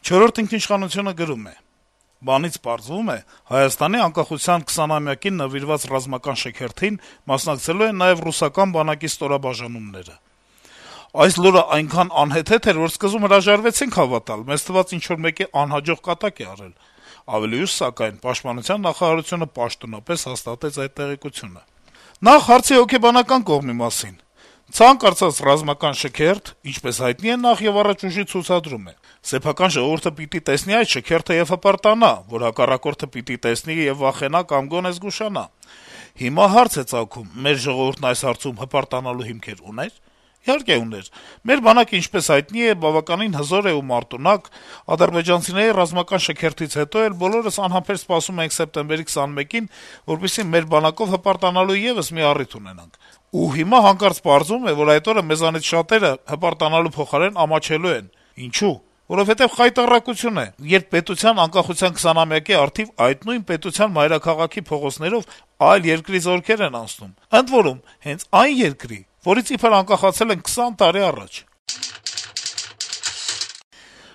«Չորրորդ ինքնիշխանություն»-ը գրում է. - «Բանից պարզվում է, Հայաստանի անկախության 20-ամյակին նվիրված ռազմական շքերթին մասնակցելու են նաեւ ռուսական բանակի ստորաբաժանումները: Այս լուրը այնքան անհեթեթ էր, որ սկզբում հրաժարվեցինք հավատալ, մեզ թվաց ինչ-որ մեկի անհաջող կատակ է արել: Ավելի ուշ, սակայն, Պաշտպանության նախարարությունը պաշտոնապես հաստատեց այդ տեղեկությունը: Նախ հարցի հոգեբանական կողմի մասին: Ցանկացած ռազմական շքերթ, ինչպես հայտնի է, նախեւառաջ ուժի ցուցադրում է: Սեփական ժողովուրդը պիտի տեսնի այդ շքերթը եւ հպարտանա, որ հակառակորդը պիտի տեսնի եւ վախենա կամ գոնե զգուշանա: Հիմա հարց է ծագում` մեր ժողովուրդն այս հարցում հպարտանալու հիմքեր ունե՞ր: Իհարկե ուներ: Մեր բանակը, ինչպես հայտնի է, բավականին հզոր է ու մարտունակ: Ադրբեջանցիների ռազմական շքերթից հետո էլ բոլորս անհամբեր սպասում էինք սեպտեմբերի 21-ին, որպեսզի մեր բանակով հպարտանալու եւս մի առիթ ունենանք: Ու հիմա հանկարծ պարզվում է, որ այդ օրը մեզանից շատերը հպարտանալու փոխարեն ամաչելու են: Ինչո՞ւ: Որովհետեւ խայտառակություն է, երբ պետության անկախության 20-ամյակի առթիվ այդ նույն պետության մայրաքաղաքի փողոցներով այլ երկրի զորքեր են անցնում, ընդ որում, հենց այն երկրի, որից իբր անկախացել ենք 20 տարի առաջ»: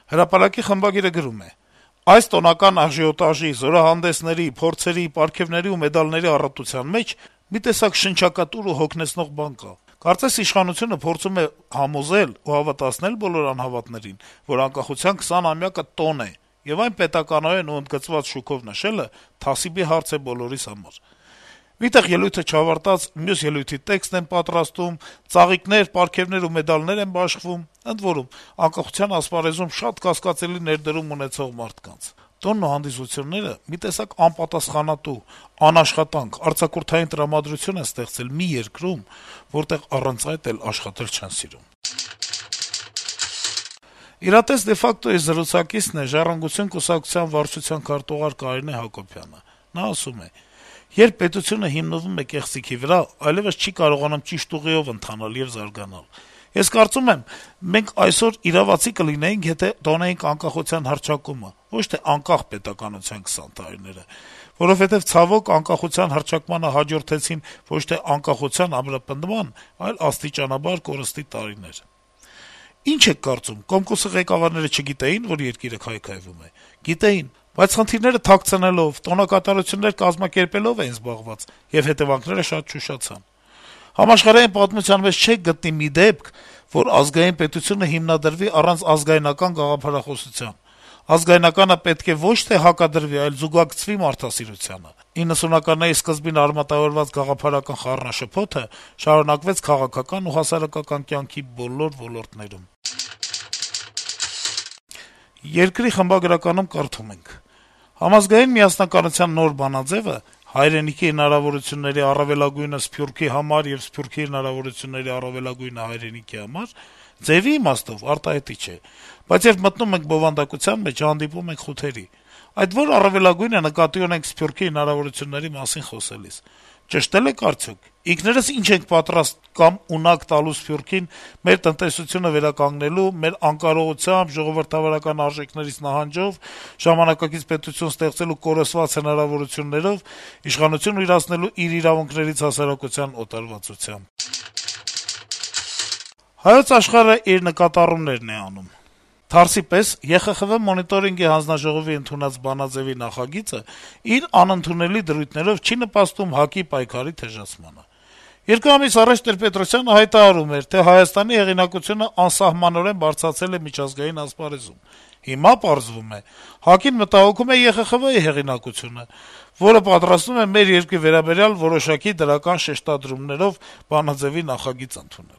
«Հրապարակ»-ի խմբագիրը գրում է. - «Այս տոնական աժիոտաժի, զորահանդեսների, փորձերի, պարգեւների ու մեդալների առատության մեջ մի տեսակ շնչակատուր ու հոգնեցնող բան կա: Կարծես իշխանությունը փորձում է համոզել ու հավատացնել բոլոր անհավատներին, որ անկախության 20-ամյակը տոն է, եւ այն պետականորեն ու ընդգծված շուքով նշելը թասիբի հարց է բոլորիս համար: Մի տեղ ելույթը չավարտած մյուս ելույթի տեքստ են պատրաստում, ծաղիկներ, պարգեւներ ու մեդալներ են բաշխվում, ընդ որում, անկախության ասպարեզում շատ կասկածելի ներդրում ունեցող մարդկանց: Տոնն ու հանդիսությունները մի տեսակ անպատասխանատու, անաշխատանք, արձակուրդային տրամադրություն են ստեղծել մի երկրում, որտեղ առանց այդ էլ աշխատել չեն սիրում»: «Իրատես de facto»-ի զրուցակիցն է «Ժառանգություն» կուսակցության վարչության քարտուղար Կարինե Հակոբյանը: Նա ասում է. - «Երբ պետությունը հիմնվում է կեղծիքի վրա, այլեւս չի կարողանում ճիշտ ուղիով ընթանալ եւ զարգանալ: Ես կարծում եմ, մենք այսօր իրավացի կլինեինք, եթե տոնեինք անկախության հռչակումը, ոչ թե անկախ պետականության 20 տարիները: Որովհետեւ, ցավոք, անկախության հռչակմանը հաջորդեցին ոչ թե անկախության ամրապնդման, այլ աստիճանաբար կորստի տարիներ: Ի՞նչ եք կարծում, Կոմկուսի ղեկավարները չգիտեի՞ն, որ երկիրը քայքայվում է: Գիտեին, բայց խնդիրները թաքցնելով, տոնակատարություններ կազմակերպելով էին զբաղված, եւ հետեւանքները շատ չուշացան: Համաշխարհային պատմության մեջ չեք գտնի մի դեպք, որ ազգային պետությունը հիմնադրվի առանց ազգայնական գաղափարախոսության: Ազգայնականը պետք է ոչ թե հակադրվի, այլ զուգակցվի մարդասիրությանը: 90-ականների սկզբին արմատավորված գաղափարական խառնաշփոթը շարունակվեց քաղաքական ու հասարակական կյանքի բոլոր ոլորտներում»: «Երկիր» խմբագրականում կարդում ենք. - «Համազգային միասնականության նոր բանաձեւը հայրենիքի հնարավորությունների առավելագույնը Սփյուռքի համար եւ Սփյուռքի հնարավորությունների առավելագույնը հայրենիքի համար ձեւի իմաստով արտահայտիչ է, բայց երբ մտնում ենք բովանդակության մեջ, հանդիպում ենք խութերի: Այդ ո՞ր առավելագույնը նկատի ունենք Սփյուռքի հնարավորությունների մասին խոսելիս: Ճշտե՞լ եք արդյոք: Ինքներս ի՞նչ ենք պատրաստ կամ ունակ տալու Սփյուռքին մեր տնտեսությունը վերականգնելու, մեր անկարողությամբ, ժողովրդավարական արժեքներից նահանջով, ժամանակակից պետություն ստեղծելու կորսված հնարավորություններով, իշխանություն իրացնելու իր իրավունքներից հասարակության օտարվածությամբ»: «Հայոց Աշխարհ»-ը իր նկատառումներն է անում. - «Թարսի պես ԵԽԽՎ մոնիտորինգի հանձնաժողովի ընդունած բանաձեւի նախագիծը իր անընդունելի դրույթներով չի նպաստում ՀԱԿ-ի պայքարի թեժացմանը: 2 ամիս առաջ Տեր-Պետրոսյանը հայտարարում էր, թե Հայաստանի հեղինակությունը անսահմանորեն բարձրացել է միջազգային ասպարեզում: Հիմա պարզվում է` ՀԱԿ-ին մտահոգում է ԵԽԽՎ-ի հեղինակությունը, որը պատրաստվում է մեր երկրի վերաբերյալ որոշակի դրական շեշտադրումներով բանաձեւի նախագիծ ընդունել»: